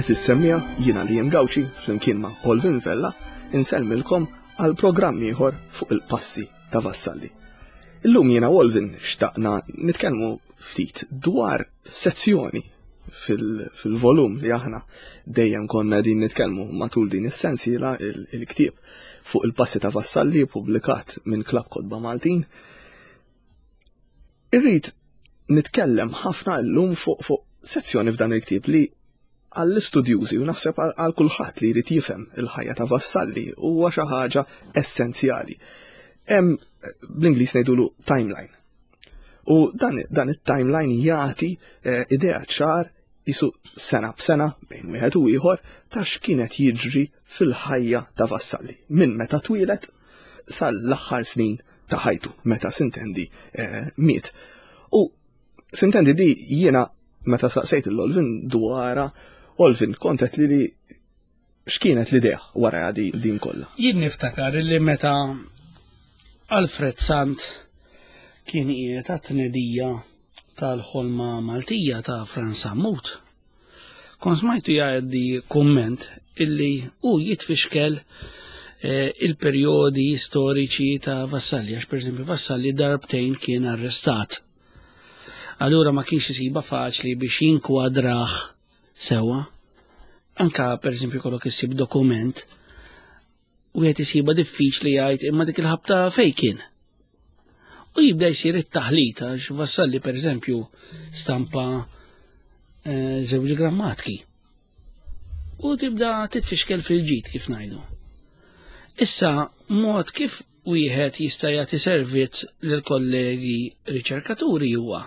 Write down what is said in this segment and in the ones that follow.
Eżis semmija jiena li jem Gawċi flimkien ma' Olvin Vella insellmilkom għal programm ieħor fuq il-passi ta' Vassalli. Illum jiena Olvin xtaqna nitkellmu ftit dwar sezzjoni fil-volum li aħna dejjem konna din nitkellmu matul din is-sensiela il-ktieb fuq il-passi ta' Vassalli publikat minn Klab Kotba Maltin. Irrid nitkellem ħafna llum fuq fuq sezzjoni f'dan il-ktieb li għall-istudjużi u naħseb għal kulħadd li jrid jifhem il-ħajja ta' Vassalli huwa xi ħaġa essenzjali. Hemm bl-Ingliż ngħidulu timeline. U dan, dan it-timeline jagħti eh, idea ċar jisu sena b'sena bejn wieħed u ieħor ta' x'kienet jiġri fil-ħajja ta' Vassalli minn meta twieled sal-aħħar snin ta' ħajtu meta sintendi eh, miet. U sintendi di jiena meta saqsejt l-Olvin dwara Olvin kontet li li x'kienet l-idea wara di din kollha? Jien niftakar li meta Alfred Sant kien qiegħed għat-tnedija tal-ħolma Maltija ta' Franz Sammut. Kon smajtu jgħaddi kumment illi hu jitfixkel eh, il-perjodi storiċi ta' Vassalli, għax per esempio Vassalli darbtejn kien arrestat. Allura ma kienx isiba faċli biex jinkwadrah Sewwa. Anka pereżempju kollok issib dokument wieħed isiba diffiċli jgħid imma dik il-ħabta fejn kien. U jibda jsir it-taħlit għax Vassalli pereżempju stampa eh, żewġ grammatki. U tibda titfixkel fil-ġid kif ngħidu. Issa mod kif wieħed jista' jagħti servizz lil kollegi riċerkaturi huwa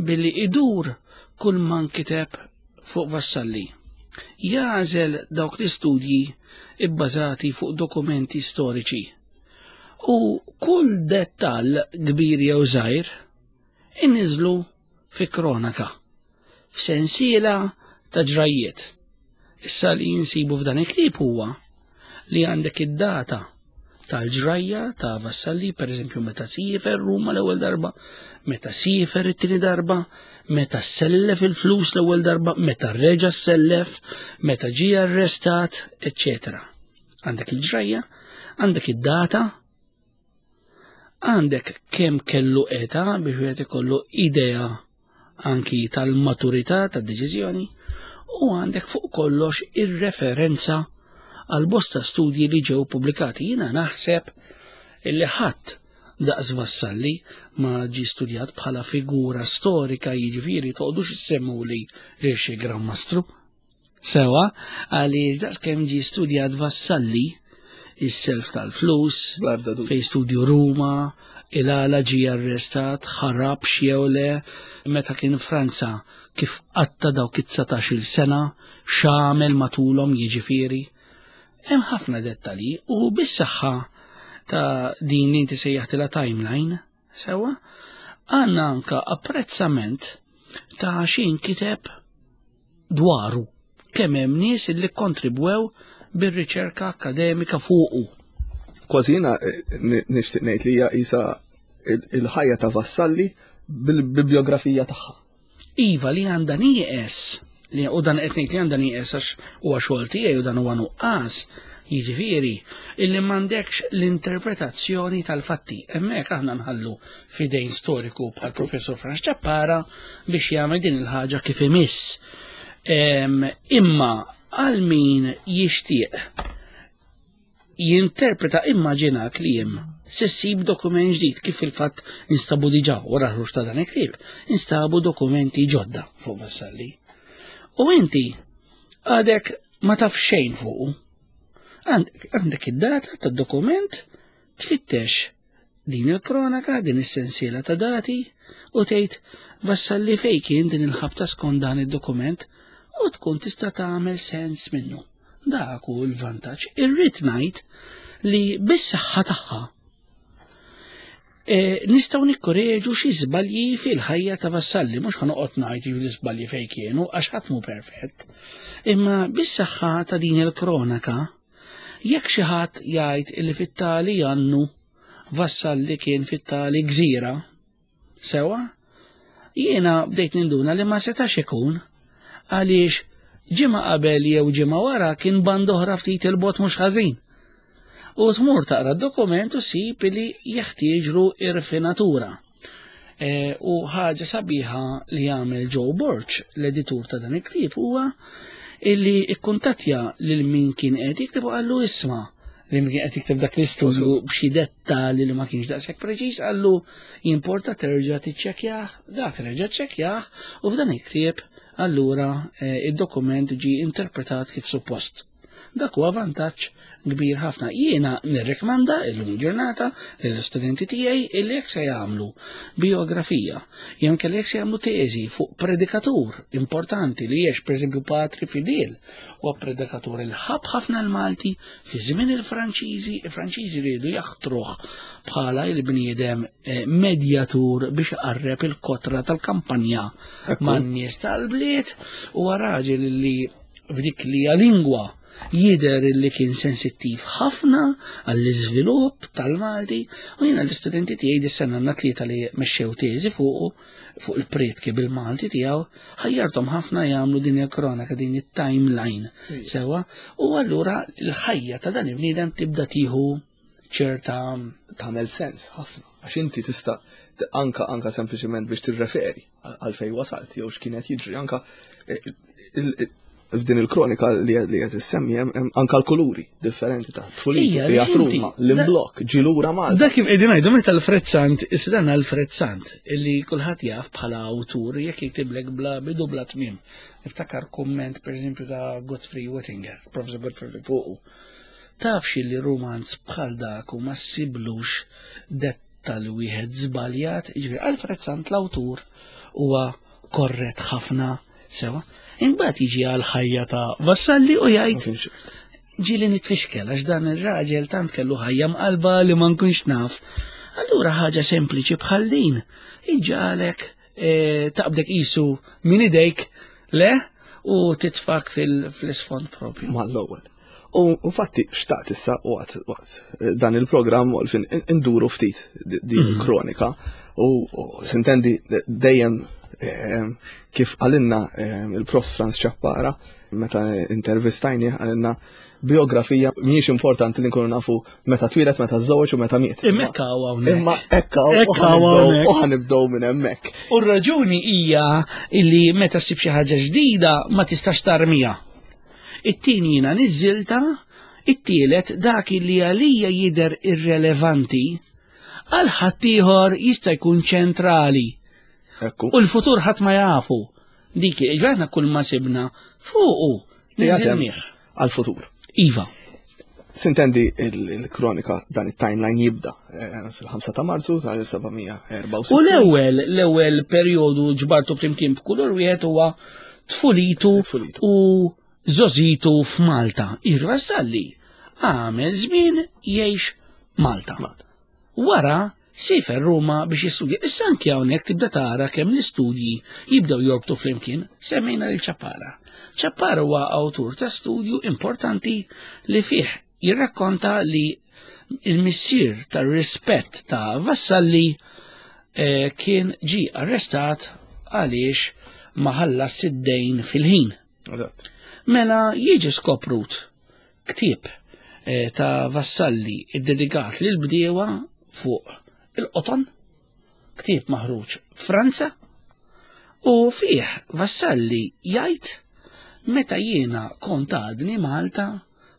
billi idur kull ma nkiteb fuq Vassalli. Jagħżel dawk l-istudji ibbażati fuq dokumenti storiċi. U kull dettall kbir jew żgħir inniżlu fi kronaka, f'sensiela ta' ġrajjiet. Issa li jinsibu f'dan il-ktieb huwa li għandek id-data tal-ġrajja ta' Vassalli, per eżempju meta siefer Ruma l-ewwel darba, meta siefer it-tieni darba, meta sellef il-flus l-ewwel darba, meta reġa' sellef, meta ġie arrestat, eċċetera. Għandek il-ġrajja, għandek id-data, għandek kemm kellu età biex wieħed ikollu idea anki tal-maturità tad-deċiżjoni u għandek fuq kollox ir-referenza għal bosta studji li ġew pubblikati. Jiena naħseb illi ħadd daqs Vassalli ma ġi studjat bħala figura storika jiġifieri toqgħodux issemmuli lil xi Gran Mastru. Sewa, għaliex daqs kemm ġie studjat Vassalli, is-self tal-flus, fej studju Ruma, il-għala ġie arrestat, ħarab jew le, meta kien Franza kif qatta dawk it-19-il sena, x'għamel matulhom jiġifieri. Hemm ħafna dettalji u bis-saħħa ta' din li inti sejjaħtilha timeline, Sewa, għandna anka apprezzament ta' xi nkiteb dwaru kemm hemm nies li kontribwew bir-riċerka akademika fuqu. Kważi jiena eh, nixtieq ngħid li hija qisha il-ħajja ta' Vassalli bil-bibliografija tagħha. Iva li għandha nieqes li u dan qed ngħid li għandha nieqes għax huwa xogħol tiegħi u dan huwa nuqqas, jiġifieri illi m'għandekx l-interpretazzjoni tal-fatti. Hemmhekk aħna nħallu fidejn storiku bħal Professor Franz Ċappara biex jagħmel din il-ħaġa kif imiss. Imma għal min jixtieq jinterpreta immaġina kliem se ssib dokument ġdid kif fil-fatt instabu diġà wara ħruġ ta' dan il-ktieb, instabu dokumenti ġodda fuq Vassalli. U inti għadek ma taf xejn fuqu. Għandek id-data tad-dokument tfittex din il-kronaka, din is-sensiela ta' dati u tgħid Vassalli fejn kien din il-ħabta skont dan id-dokument u tkun tista' tagħmel sens minnu. Dak hu l-vantaġġ. Irrid ngħid li bis-saħħa tagħha e, nistgħu nikkoreġu xi żbalji fil-ħajja ta' Vassalli, mhux ħanoqgħod ngħid l-iżbalji fejn kienu għax ħadd mhu perfett. Imma bis-saħħa ta' din il-kronaka, jekk xi ħadd jgħid li fit-tali jannu Vassalli kien fit-tali gżira, Sewa, jiena bdejt ninduna li ma setax ikun għaliex Ġimgħa qabel jew ġimgħa wara kien band oħra ftit il-bot mhux ħażin. U tmur taqra d-dokument u ssib li jeħtieġlu irfinatura. E, u ħaġa sabiħa li jagħmel Joe Borch, l-editur ta' dan il-ktieb, huwa illi ikkuntattja lil min kien qed jikteb u qallu isma' li min kien qed jikteb dak l-istudju b'xi dettali li ma kienx daqshekk preċiż qallu jimporta terġa' tiċċekkjah, dak reġa' ċċekkjah u f'dan il-ktieb allura eh, id-dokument ġie interpretat kif suppost. Dak huwa vantaġġ kbir ħafna. Jiena nirrikmanda illum il-ġurnata lill-istudenti tiegħi illi jekk se jagħmlu biografija, jew inkella jekk se jagħmlu teżi fuq predikatur importanti li jiex pereżempju Patri Fidil, huwa predikatur il ħabb ħafna l-Malti fi żmien il-Franċiżi, il-Franċiżi riedu jaħtruh bħala il-bniedem eh, medjatur biex iqarreb il-kotra tal-kampanja man-nies tal-bliet huwa raġel li f'dik li hija lingwa jidher li kien sensittiv ħafna għall-iżvilupp tal-Malti u jiena l-istudenti tiegħi dis-sena għandna tlieta li mexxew teżi fuqu fuq il-prietki bil-Malti tiegħu ħajjarthom ħafna jagħmlu din il-kronaka din it-timeline sewwa u allura l-ħajja ta' dan il-bniedem tibda tieħu ċerta tagħmel sens ħafna għax inti tista' anka anka sempliċement biex tirreferi għal fej wasalt jew x'kien qed jiġri anka eh, f'din il-kronika li qed issemmi hemm anka l-kuluri differenti ta' tfulija li Ruma, l-imblok, ġilura Malta. Dak kif qegħdin ngħidu meta Alfred Sant, issa dan Alfred Sant illi kulħadd jaf bħala awtur jekk jiktiblek bla bidu bla tmiem. Niftakar kumment pereżempju ta' Godfrey Wettinger, Professor Godfrey fuqu. Taf xilli rumanz bħal dak u ma ssiblux dettal wieħed żbaljat, jiġifieri Alfred Sant l-awtur huwa korrett ħafna sewa. Imbagħad jiġi għal ħajja ta' Vassalli u jgħid ġieli nitfixkel għax dan ir-raġel tant kellu ħajja mqalba li ma nkunx naf. Allura ħaġa sempliċi bħal din iġġalek eh, taqbdek qisu minn idejk le u titfak fil-isfond propju. Mal-ewwel. U infatti xtaqt issa waqt waqt eh, dan il-programm u fin induru ftit din mhm. il-kronika u sintendi dejjem eh, kif għalinna il-prof Franz Ċappara meta intervistajni għalinna biografija mhijiex importanti li nkunu nafu meta twieled, meta żżewweġ u meta miet. Imma hekk hawnhekk. Imma hekk hawn u ħanibdew minn hemmhekk. U r-raġuni hija li meta ssib xi ħaġa ġdida ma tistax tarmija. It-tieni jiena niżżilta, it-tielet dak li għalija jidher irrelevanti għal ħaddieħor jista' jkun ċentrali. U l-futur ħadd ma jafu. Dik, aħna kull ma sibna fuqu niżilnieh. Għal-futur. Iva. Sintendi il-kronika dan it-timeline jibda eh, fil-5 ta' Marzu tal-1764. U l-ewwel l-ewwel perjodu ġbartu flimkien b'kulur wieħed huwa tfulitu u żożitu f'Malta. Ir-Vassalli għamel żmien jgħix Malta. Wara siefer Ruma biex jistudja. Issa anki hawnhekk tibda tara kemm l-istudji jibdew jorbtu flimkien, semmejna lil Ċappara. Ċappara huwa awtur ta' studju importanti li fih jirrakkonta li il-missier tar-rispett ta' Vassalli eh, kien ġi arrestat għaliex ma ħallas id-dejn fil-ħin. Mela jiġi skoprut Ktieb eh, ta' Vassalli iddedikat lil bdiewa fuq il-qoton, ktieb maħruġ Franza, u fih Vassalli jgħid meta jiena kont għadni Malta,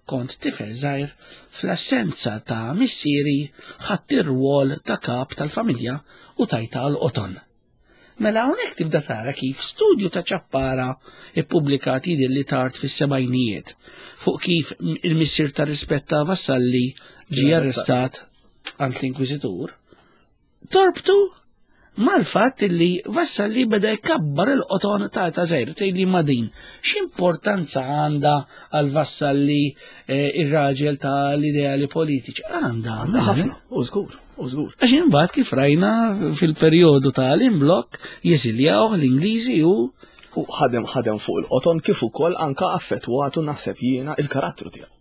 kont tifel żgħir, fl-assenza ta' missieri ħadd ir-rwol ta' kap tal-familja u tajta għal qoton. Mela hawnhekk tibda tara kif studju ta' ċappara ippubblikat jidher li tard fis-sebgħinijiet fuq kif il-missier ta' rispett ta' Vassalli ġie arrestat għand l-Inkwiżitur, torbtu mal-fatt li Vassalli beda jkabbar il-qoton ta' ta' żgħir tgħidli ma' din. X'importanza għandha għal Vassalli eh, ir-raġel ta' l-ideali politiċi? Għandha, għandha ħafna, u żgur. U żgur. Għax imbagħad kif rajna fil-perjodu ta' l-imblokk jeżiljawh l-Ingliżi u U ħadem ħadem fuq il-qoton kif ukoll anka affettwatu naħseb jiena il-karattru tiegħu.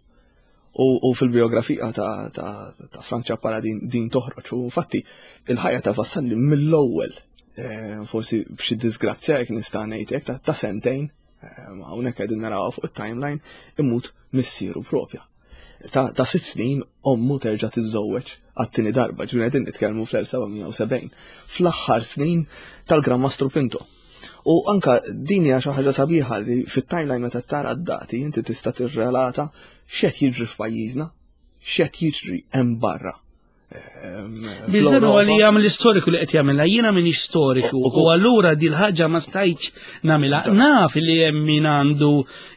U, u fil-biografija ta', ta, ta Franz Ċappara din, din toħroġ. U infatti il-ħajja ta' Vassalli mill-ewwel eh, forsi b'xi disgrazzja jekk nista' ngħid hekk ta', ta sentejn. Hawnhekk qegħdin naraw fuq it-timeline imut missieru propja. Ta', ta sitt snin ommu terġa' tiżżewweġ għat-tieni darba, ġifieri qegħdin nitkellmu fl-1770, fl-aħħar snin tal-Gran Mastru Pinto. U anka din hija xi ħaġa sabiħa li fit-timeline meta tara d-dati inti tista' tirrelata x'qed jiġri f'pajjiżna, x'qed jiġri hemm barra. Biss dan huwa li jagħmel istoriku li qed jagħmilha, jiena minix storiku u allura din ħaġa ma stajtx nagħmilha. Naf li hemm min għandu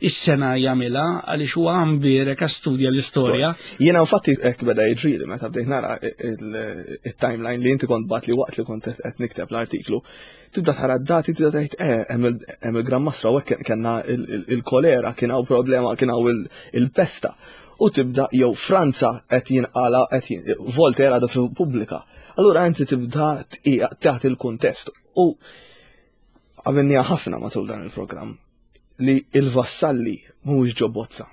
is-sena jagħmilha għaliex huwa għambierek studja l-istorja. Jiena infatti hekk beda jiġrili meta bdejt nara it-timeline li inti kont bat li waqt li kont qed nikteb l-artiklu. Tibda tara d-dati, tibda tgħid eh hemm il-Gran Mastra u hekk kellna il-kolera, kien hawn problema, kien hawn il-pesta u tibda jew Franza qed jinqala qed Voltaire għadu pubblika. Allura inti tibda taħt il-kuntest u għamilniha ħafna matul dan il-programm li il-vassalli mhuwiex ġo bozza.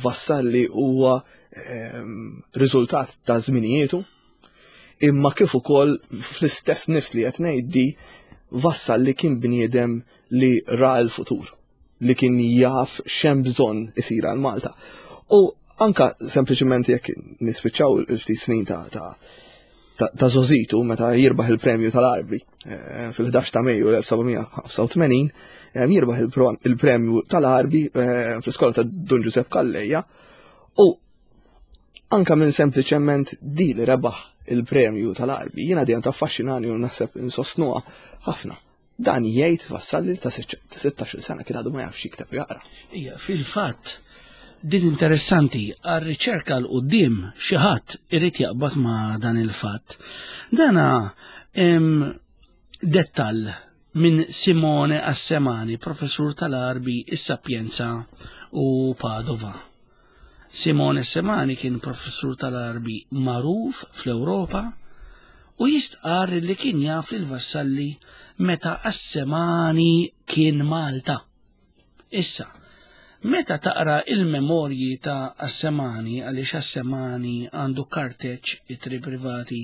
Vassalli huwa ehm, riżultat ta' żminijietu, imma kif ukoll fl-istess nifs li qed ngħid di Vassalli kien bniedem li ra l-futur. li kien jaf x'hemm bżonn isir għal Malta. U anka sempliċement jekk nispiċċaw il-ftit snin ta' ta' ta' Zozitu meta jirbaħ il-premju tal-Arbi eh, fil-11 ta' Mejju l-1785 eh, jirbaħ il-premju tal-Arbi eh, fl-iskola ta' Dun Giuseppe Calleja u anka minn sempliċement di li rebaħ il-premju tal-Arbi jiena dejjem taffaxxinani u naħseb insostnuha ħafna. Dan jgħid Vassalli li ta' 16-il sena kien għadu ma jafx jikteb u jaqra. Ija, fil-fatt, din interessanti, għar-riċerka l quddiem xi ħadd irid jaqbad ma' dan il-fatt. Dana dettall minn Simone Assemani, professur tal-Arbi, is-Sapienza u Padova. Simone Semani kien professur tal-Għarbi magħruf fl-Ewropa u jistqarr li kien jaf lil Vassalli meta Assemani kien Malta. Issa, meta taqra il-memorji ta' Assemani għaliex Assemani għandu karteċ ittri privati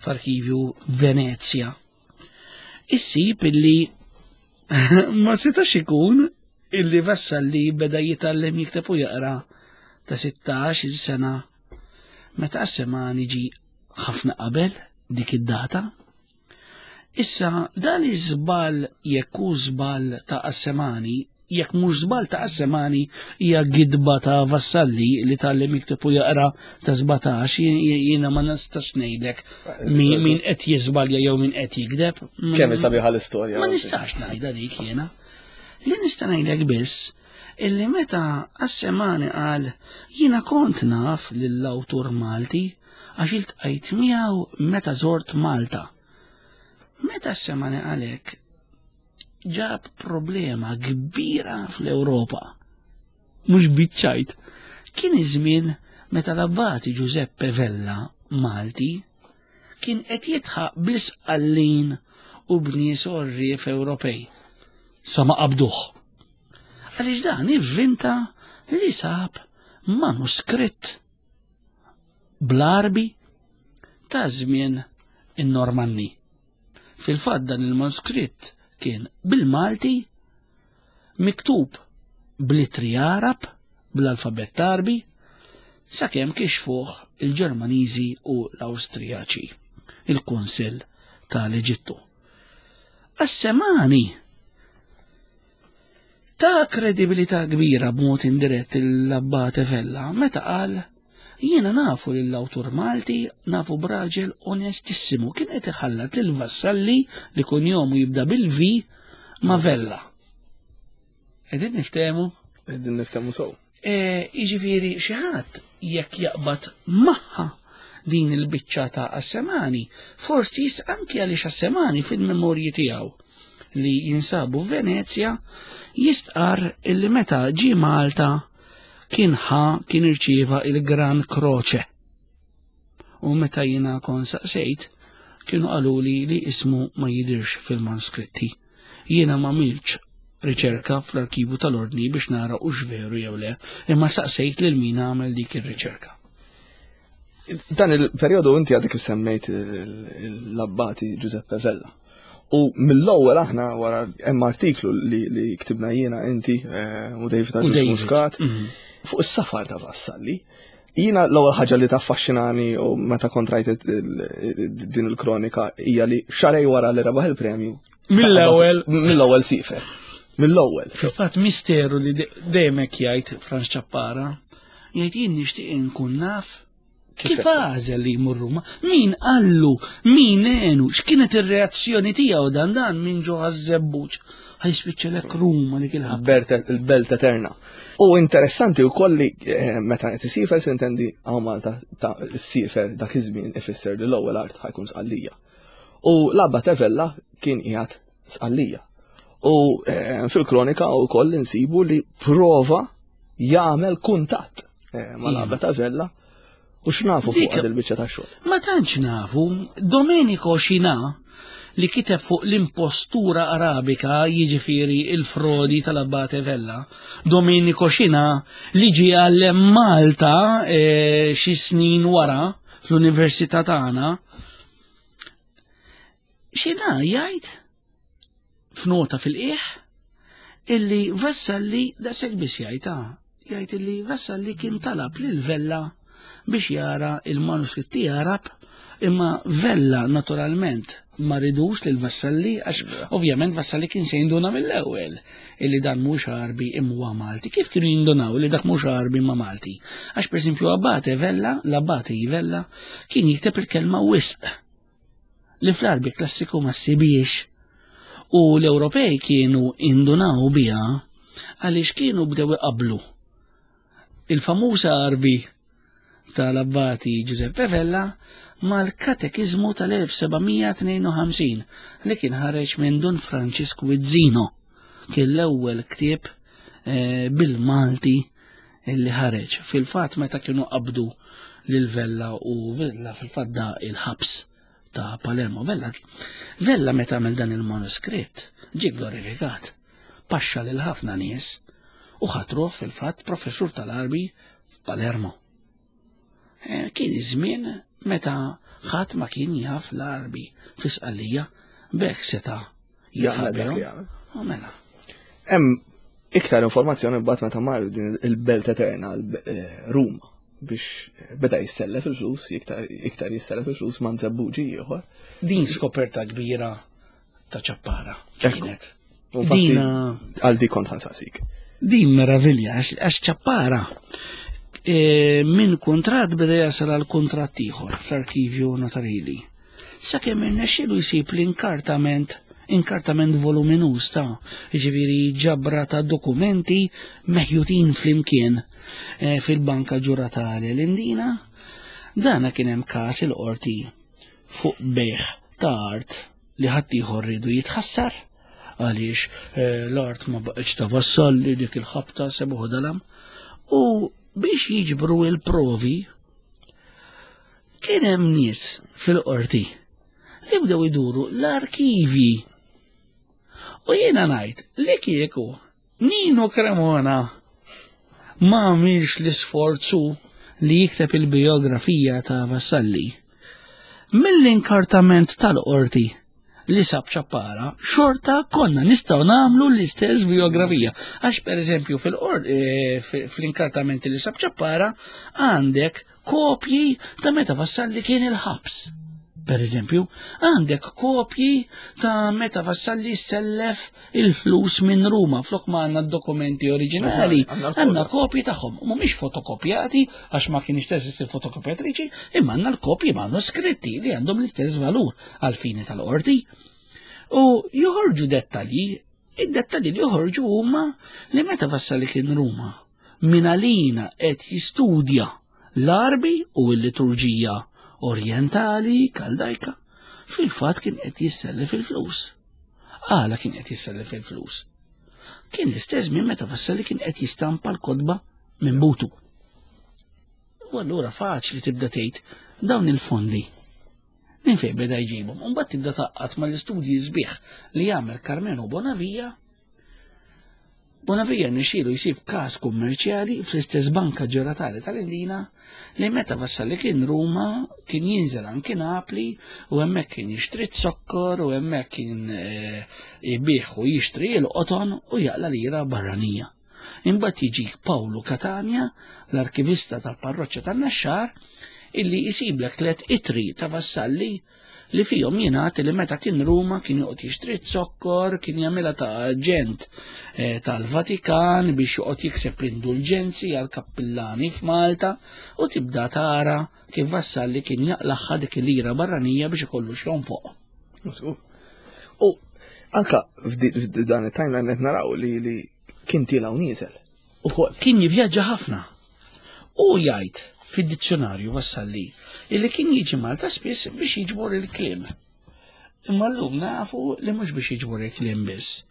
f'arkivju Venezja, issib illi ma setax ikun illi Vassalli beda jitgħallem jikteb u jaqra ta' 16 sena meta Assemani ġi ħafna qabel dik id-data. Issa dan iż-żball jekk hu żball ta' Assemani, jekk mhux żball ta' Assemani hija gidba ta' Vassalli li tgħallem jikteb u jaqra ta' 17 jiena ma nistax ngħidlek min qed jiżbalja jew min qed jigdeb. Kemm sabiħa l-istorja. Ma nistax ngħidha dik jiena. Li nista' ngħidlek biss illi meta Assemani qal jiena kont naf lill-awtur Malti għax iltqajt miegħu meta żort Malta. Meta Assemani qal hekk ġab problema kbira fl-Ewropa. Mhux biċ-ċajt. Kien iż-żmien meta l-Abbati Giuseppe Vella Malti kien qed jidħaq bl-Isqallin u b'nies għorrief Ewropej sa ma qabduh. Għaliex dan ivvinta li sab manuskritt bl-Għarbi ta' żmien in-Normanni. Fil-fatt dan il-manuskritt kien bil-Malti miktub bl-ittri Għarab, bl-alfabett Għarbi, sakemm kixfuh il-Ġermaniżi u l-Awstrijaċi, il-Kunsill tal-Eġittu. Assemani ta' kredibilità kbira b'mod indirett l-Abbate Vella meta qal jiena nafu lill-awtur Malti nafu b'raġel onestissimu kien qed iħallat lil Vassalli li kunjomu jibda bil-V ma' Vella. Qegħdin niftehmu? Qegħdin niftehmu sew. E, jiġifieri xi ħadd jekk jaqbad magħha din il-biċċa ta' Assemani, forsi jist anki għaliex Assemani fil-memorji tiegħu li jinsabu Venezja jistqar illi meta ġie Malta kien ħa kien irċieva il-Gran Croce. U meta jiena kon saqsejt, kienu qaluli li ismu ma jidirx fil-manuskritti. Jiena ma għamiltx riċerka fl-arkivu tal-Ordni biex nara hux veru jew le, imma saqsejt lil min għamel dik ir-riċerka. Dan il-perjodu inti għadek kif semmejt l-abbati Giuseppe Vella. U mill-ewwel aħna wara hemm artiklu li, li ktibna jiena inti eh, u David Agius Muscat mhm. fuq is-safar ta' Vassalli. Jiena l-ewwel ħaġa li taffaxxinani u meta kontrajt din il-kronika hija li xarej wara li rebaħ il-premju. Mill-ewwel. Mill-ewwel sifer. Mill-ewwel. Fil-fatt misteru li dejjem hekk jgħid Franz Ċappara, jgħid jien nixtieq inkun naf Kif għażel li jmur Ruma? Min qallu? Min għenu? X'kienet ir-reazzjoni tiegħu dan dan minn ġo għaż-żebbuġ? Ħajspiċċalek Ruma dik il-ħabta. Il-belt eterna. U interessanti wkoll li eh, meta qed isifer sintendi hawn Malta ta' sifer dak iż-żmien ifisser li l-ewwel art ħajkun Sqallija. U l-Abba Tevella kien qiegħed Sqallija. U eh, fil-kronika wkoll insibu li prova jagħmel kuntatt eh, mal-Abba Tavella u x'nafu fuq il-biċċa ta' xogħol. Ma tantx nafu, Domenico Xina li kiteb fuq l-impostura arabika jiġifieri il-frodi tal-Abbate Vella. Domenico Xina li ġie għallem Malta eh, xi snin wara fl-Università tagħna. Xina jgħid f'nota fil-qiegħ illi Vassalli daqshekk biss jgħid ah, jgħid illi Vassalli kien talab lil Vella biex jara il-manuskritti Arab imma Vella naturalment ma ridux lil Vassalli għax ovvjament Vassalli kien se jinduna mill-ewwel illi dan mhux Arbi imma huwa Malti. Kif kienu jindunaw li dak mhux Arbi imma Malti? Għax pereżempju Abate Vella, l-Abate Vella kien jikteb il-kelma wisq li fl-Arbi klassiku ma ssibiex u l-Ewropej kienu indunaw biha għaliex kienu bdew iqablu il-famuż Arbi tal-Abbati Giuseppe Vella mal-Katekiżmu tal-1752 li kien ħareġ minn Dun Francisco Wizzino kien l-ewwel ktieb eh, bil-Malti li ħareġ. Fil-fatt meta kienu qabdu lil Vella u Vella fil-fatt da il-ħabs ta' Palermo. Vella, Vella meta għamel dan il-manuskritt ġie glorifikat, paxxa lil ħafna nies u ħatruh fil-fatt professur tal-Arbi f'Palermo. Eh, kien iż-żmien meta ħadd ma kien jaf l-Arbi fi Sqallija b'hekk seta' jitħabbihom. U mela. Hemm iktar informazzjoni mbagħad meta mar din il-belt eterna eh, Ruma biex beda jissellef il-flus, iktar jissellef il-flus ma' nżebbuġi ieħor. Din skoperta kbira ta' ċappara kienet. Dina għal di kont ħansaqsik. Din meravilja għax ċappara e, minn kontrat beda jasal għal kontrat ieħor fl-arkivju notarili. Sakemm irnexxielu jsib l-inkartament inkartament voluminuż ta' ġifieri ġabra ta' dokumenti meħjutin flimkien e, fil-Banka Ġuratali l-Imdina. Dana kien hemm każ il-qorti fuq bejħ ta' art li ħaddieħor riedu jitħassar għaliex eh, l-art ma baqgħetx ta' vassalli dik il-ħabta sebuħ dalam u biex jiġbru il-provi kien hemm nies fil-qorti li bdew iduru l-arkivi. U jiena ngħid li kieku Nino Cremona ma għamilx l-isforzu li jikteb il-bijografija ta' Vassalli. Mill-inkartament tal-qorti li sab ċappara, xorta konna nistgħu nagħmlu l-istess bijografija. Għax pereżempju eh, fl-inkartament li sab ċappara għandek kopji ta' meta Vassalli kien il-ħabs. Per eżempju, għandek kopji ta' meta Vassalli sellef il-flus minn Ruma, flok ma għandna dokumenti oriġinali, għandna kopji tagħhom. Mhumiex fotokopjati għax ma kienx teżisti fotokopjatriċi, imma għandna l-kopji manuskritti li għandhom l-istess valur għal-fini tal-qorti. U joħorġu dettalji, id-dettalji li joħorġu huma li meta Vassalli kien Ruma, min għalina qed jistudja l-Għarbi u l-liturġija orjentali kaldajka, fil-fatt kien qed jissellef il-flus. Għala kien qed jissellef il-flus? Kien l-istess minn meta Vassalli kien qed jistampa l-kotba minn butu. U allura faċli tibda tgħid dawn il-fondi minn fejn beda jġibhom. U mbagħad tibda taqqat mal-istudji sbieħ li jagħmel Carmelo Bonavia. Bonavia rnexxielu jsib każ kummerċjali fl-istess banka ġeratali tal-Indina li meta Vassalli kien Ruma kien jinżel anki Napli u hemmhekk kien jixtri zokkor u hemmhekk kien eh, ibih u jixtri l-qoton u jaqla lira barranija. Imbagħad jiġik Pawlu Catania, l-arkivista tal-parroċċa tan-Naxxar, illi jisiblek tlet itri ta' Vassalli li fihom jingħad li meta kien Ruma kien joqgħod jixtri zokkor, kien jagħmilha ta' aġent eh, tal-Vatikan biex joqgħod jikseb l-indulġenzi għal kappillani f'Malta u tibda tara kif Vassalli kien jaqlaħħa dik il-lira barranija biex ikollu x'jonfoq. U anka f'dan it-timeline qed naraw li li kien tiela' u nieżel. Ukoll. Kien jivvjaġġa ħafna. U jgħid fid-dizzjonarju Vassalli illi kien jiġi Malta spiss biex jiġbor il-kliem. Imma llum nafu li mhux biex jiġbor il-kliem biss,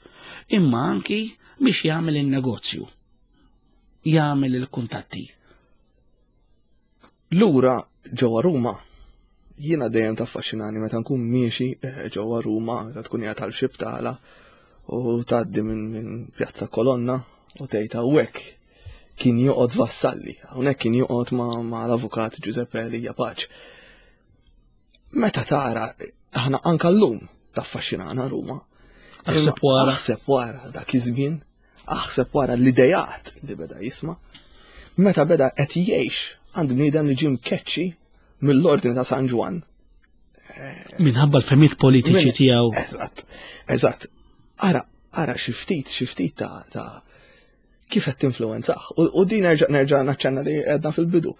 imma anki biex jagħmel in-negozju, jagħmel il-kuntatti. Lura ġewwa Ruma, jiena dejjem taffaxxinani meta nkun miexi eh, ġewwa Ruma, meta tkun qiegħed għal xi btala u tgħaddi minn min Pjazza Kolonna u tgħid hawnhekk kien joqgħod Vassalli, hawnhekk kien joqgħod ma, ma l-avukat Giuseppe Elia Pace. Meta tara, aħna anka llum taffaxxinana Ruma. Aħseb wara. Aħseb wara dak iż-żmien Aħseb wara l-idejat li beda jisma', meta beda qed jgħix għand bniedem li ġie mkeċċi mill-Ordni ta' San Ġwann. Minħabba l-femiet politiċi tiegħu. Eżatt, eżatt. Ara, ara xi ftit, xi ftit ta' ta' kif qed tinfluwenzah. U din nerġa' nerġa' naċċenna li għedna fil-bidu.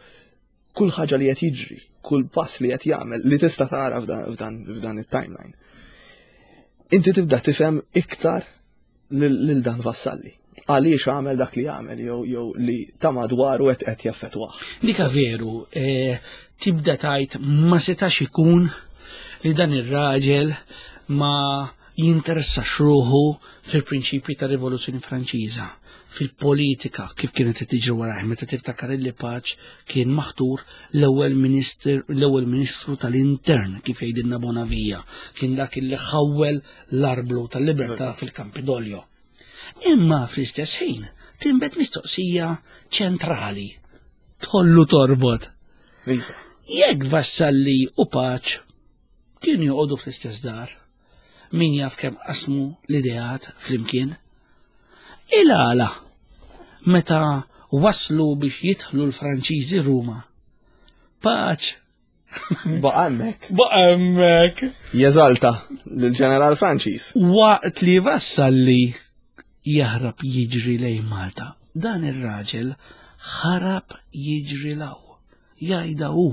Kull ħaġa li qed jiġri, kull pass li qed jagħmel li tista' tara f'dan it-timeline. Inti tibda tifhem iktar lil dan Vassalli. Għaliex għamel dak li għamel jew jew li ta' madwaru qed qed jaffettwah. Dika veru, e, tibda tajt ma setax ikun li dan ir-raġel ma jinteressax ruħu fil-prinċipji tar-Rivoluzzjoni Franċiża, fil-politika kif kienet qed tiġri warajh meta tiftakar illi Paċ kien maħtur l-ewwel minister l-ewwel ministru tal-intern kif jgħidilna Bonavia, kien dak illi ħawwel l-arblu tal-libertà fil-Campidoglio. Imma fl-istess ħin tinbet mistoqsija ċentrali. Tollu torbot. Iva. Jekk Vassalli u Paċ kienu joqogħdu fl-istess dar, min jaf kemm qasmu l-ideat flimkien. Il-għala meta waslu biex jidħlu l-Franċiżi Ruma. Paċ Baqa' hemmhekk. Baqa' hemmhekk. Jeżalta lill-ġeneral Franċiż. Waqt li Vassalli jaħrab jiġri lejn Malta, dan ir-raġel ħarab jiġri law. Jgħidha hu.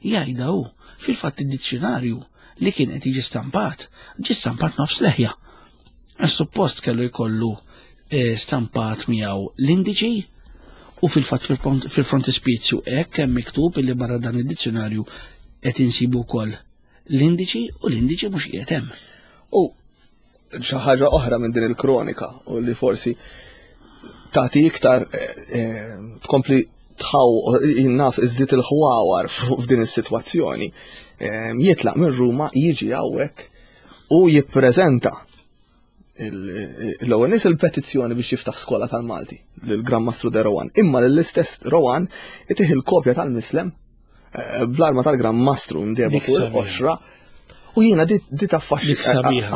Jgħidha hu. Fil-fatt id-dizzjunarju li kien qed jiġi stampat, ġie stampat nofs leħja. Għax suppost kellu jkollu eh, stampat miegħu l-indiċi u fil-fatt fil-frontispizju hekk hemm miktub illi barra dan id-dizzjonarju qed insibu wkoll l-indiċi u l-indiċi mhux qiegħed hemm. U xi ħaġa oħra minn din il-kronika u li forsi tagħti iktar eh, eh, tkompli tħaw jinnaf iżżid il-ħwawar f'din is-sitwazzjoni. Jitlaq minn Ruma jiġi hawnhekk u jippreżenta l-ewwel nies il-petizzjoni biex jiftaħ skola tal-Malti lill-Gran Mastru de Rowan. Imma lill-istess Rowan itih il-kopja tal-mislem eh, bl-arma tal-Gran Mastru mdeba fuq il-qoxra. U jiena di taffaxxi.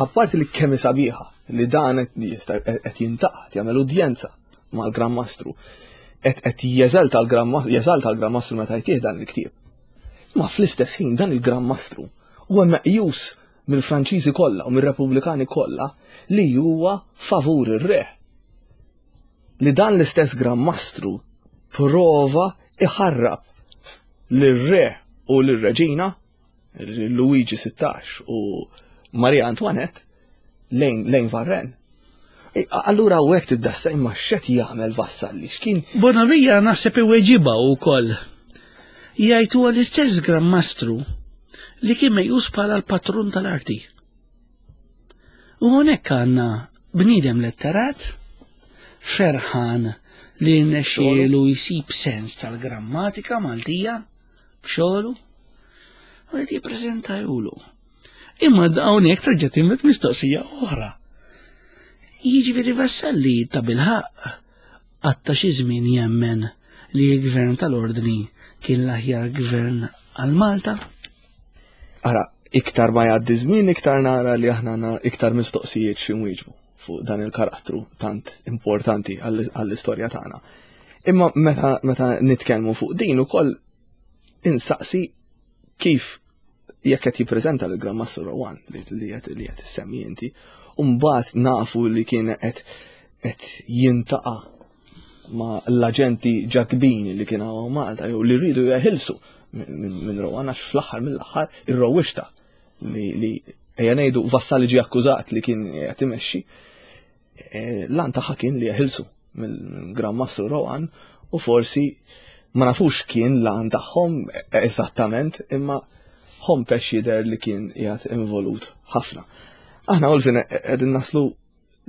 Apparti li kemm sabiħa li dan qed jintaqgħad jagħmel udjenza mal-Gran Mastru. Qed jeżalta l-Gran Mastru meta jtih dan il-ktieb. Ma fl-istess ħin dan il-Gran Mastru huwa meqjus mill-Franċiżi kollha u mir-Repubblikani kollha li huwa favur ir-re. Li dan l-istess Gran Mastru prova iħarrab lir-re u lir-reġina Luigi 16 u Maria Antoinette lejn lejn Varren. Allura u hekk tibda imma x'qed jagħmel Vassalli x'kien. Bonavia naħseb iweġibha wkoll. Jgħid huwa l-istess Gran Mastru li kien meqjus bħala l-patrun tal-arti. U hawnhekk għandna bniedem letterat, ferħan li rnexxielu jsib sens tal-grammatika Maltija b'xogħlu u qed jippreżenta julu. Imma hawnhekk terġa' tinbet mistoqsija oħra. Jiġifieri Vassalli ta' bilħaqq qatta' xi żmien jemmen li l-gvern tal-Ordni kien l-aħjar gvern għal Malta? Ara, iktar ma jgħaddi żmien iktar nara li aħna għandna iktar mistoqsijiet xi nwieġbu fuq dan il-karattru tant importanti għall-istorja tagħna. Imma meta, meta nitkellmu fuq din ukoll insaqsi kif jekk qed jippreżenta lil Grand Master Rowan li qed li qed issemmi inti, u mbagħad nafu li kien qed qed jintaqa' ma' l-aġenti ġakbini li kien hawn Malta jew li rridu jeħilsu minn Rowan għax fl-aħħar mill-aħħar ir-rowwixta li li ejja ngħidu Vassalli ġie akkużat li kien qed imexxi eh, l-għan tagħha kien li jeħilsu mill-Gran Mastru Rowan u forsi ma nafux kien l-għan tagħhom eżattament imma Hompesch jidher li kien qiegħed involut ħafna. Aħna Olvin qegħdin naslu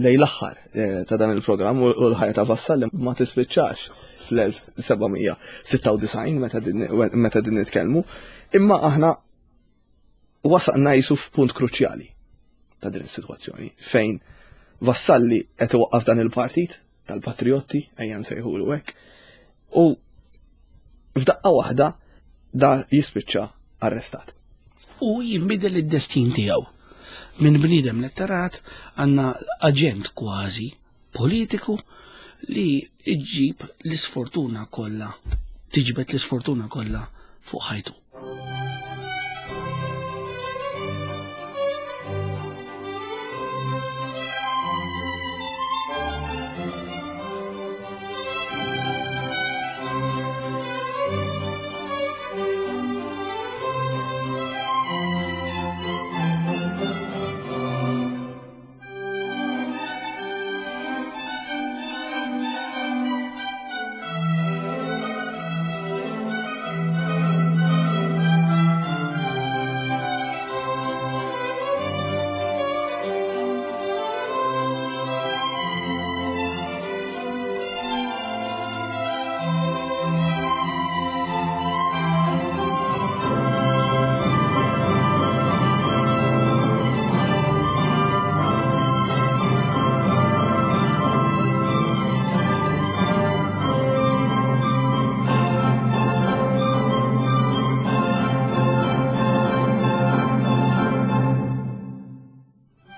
lejn l-aħħar eh, ta' dan il-programm u l-ħajja ta' Vassalli ma tispiċċax fl-1796 meta din nitkellmu, imma aħna wasalna jisu f'punt kruċjali ta' din is-sitwazzjoni fejn Vassalli qed iwaqqaf dan il-partit tal-Patriotti ejja nsejħulu hekk u f'daqqa waħda da jispiċċa arrestat. U jinbidel id-destin tiegħu. Minn bniedem letterat għandna aġent kważi politiku li ġġib l-isfortuna kollha, tiġbed l-isfortuna kollha fuq ħajtu.